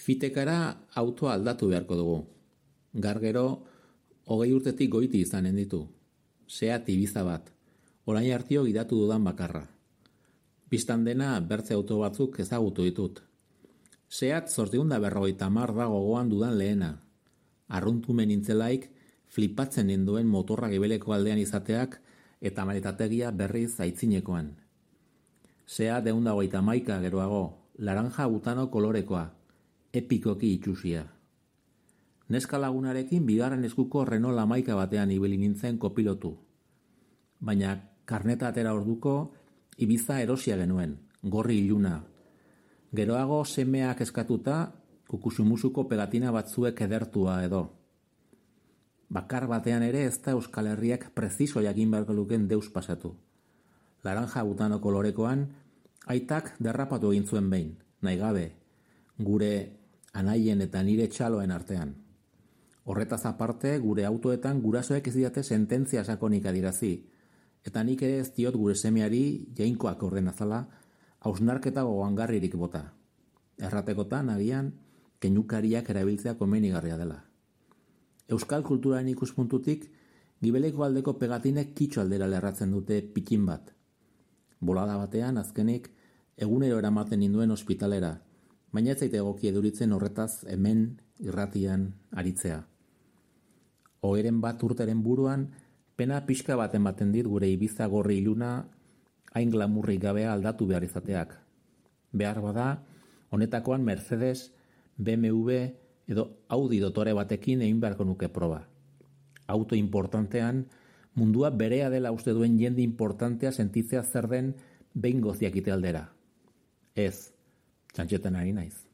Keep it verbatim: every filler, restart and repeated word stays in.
Fitekara autoa aldatu beharko dugu. Gargero, hogei urtetik goiti izanen ditu. Seat Ibiza bat, orain hartio gidatu dudan bakarra. Bistan dena bertze auto batzuk ezagutu ditut. Seat zortziehun eta berrogeita hamar da gogoan dudan lehena. Arruntumen nintzelaik flipatzen ninduen motorra gibeleko aldean izateak eta maletategia berriz aitzinekoan. Seat ehun eta hogeita hamaika geroago, laranja butano kolorekoa, epikoki itxusia. Neska lagunarekin bigarren eskuko Renault hamaika batean ibili nintzen kopilotu. Baina karneta atera orduko Ibiza erosia genuen, gorri iluna. Geroago semeak eskatuta kukusumusuko pegatina batzuek edertua edo. Bakar batean ere ez da Euskal Herriak preziso jakin beharko luken deus pasatu. Laranja butano kolorekoan, aitak derrapatu egin zuen behin, nahi gabe, gure anaien eta nire txaloen artean. Horretaz aparte, gure autoetan gurasoek ez didate sententzia sakonik adirazi, eta nik ere ez diot gure semeari jainkoak ordenazala hausnarketa gogoangarririk bota. Erratekotan, agian, keinukariak erabiltzea komenigarria dela. Euskal kulturaren ikuspuntutik, gibeleko aldeko pegatinek kitxo aldera lerratzen dute pikin bat. Bolada batean, azkenik, egunero eramaten ninduen ospitalera, baina ez zaite egoki eduritzen horretaz hemen irratian aritzea. Oheren bat urteren buruan, pena pixka baten baten dit gure Ibiza gorri iluna hain glamurrik gabea aldatu behar izateak. Behar bada, honetakoan Mercedes, B M W edo Audi dotore batekin egin beharko nuke proba. Auto importantean, mundua berea dela uste duen jende importantea sentitzea zer den behin goziakite aldera. Ez, txantxetan ari naiz.